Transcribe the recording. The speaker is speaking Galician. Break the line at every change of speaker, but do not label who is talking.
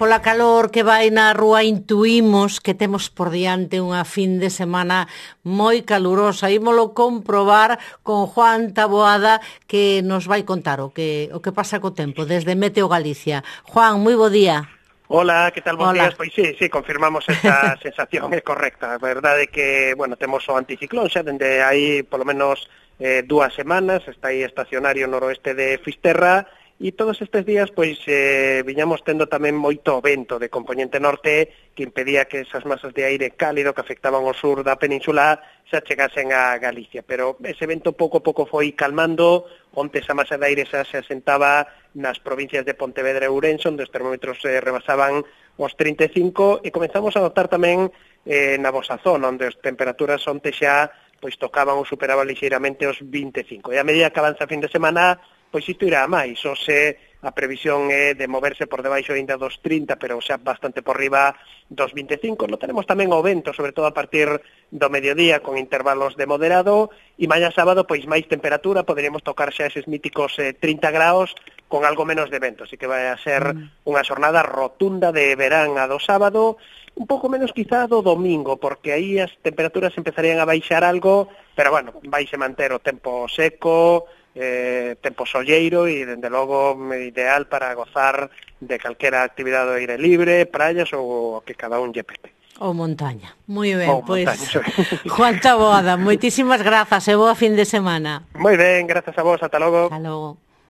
Pola calor que vai na rúa intuímos que temos por diante unha fin de semana moi calurosa. Ímolo comprobar con Juan Taboada, que nos vai contar o que pasa co tempo desde Meteo Galicia. Juan, moi bo día.
Hola, que tal? Bons
Hola.
días. Pois sí, confirmamos esta sensación, é correcta. A verdade é que, temos o anticiclón xa dende aí polo menos 2 semanas, está aí estacionario noroeste de Fisterra, e todos estes días viñamos tendo tamén moito vento de componente norte que impedía que esas masas de aire cálido que afectaban ao sur da península xa chegasen a Galicia, pero ese vento pouco a pouco foi calmando. Onte esa masa de aire xa se asentaba nas provincias de Pontevedra e Ourense, onde os termómetros rebasaban os 35, e comenzamos a notar tamén na vosa zona, onde as temperaturas onte xa tocaban ou superaban lixeiramente os 25. E a medida que avanza a fin de semana, isto irá a máis. A previsión é de moverse por debaixo ainda dos 30, pero xa bastante por riba dos 25. Lo tenemos tamén o vento, sobre todo a partir do mediodía, con intervalos de moderado, e mañá sábado, máis temperatura, poderíamos tocar xa eses míticos 30 graus, con algo menos de vento, así que vai a ser unha xornada rotunda de verán a do sábado, un pouco menos quizá do domingo, porque aí as temperaturas empezarían a baixar algo, pero vaise manter o tempo seco, tempo solleiro e, dende logo, ideal para gozar de calquera actividade ao aire libre, praias ou que cada un lle pepe.
Ou montaña. Moi ben,
Juan
Taboada, moitísimas grazas e boa fin de semana.
Moi ben, grazas a vos, ata logo.
Ata logo.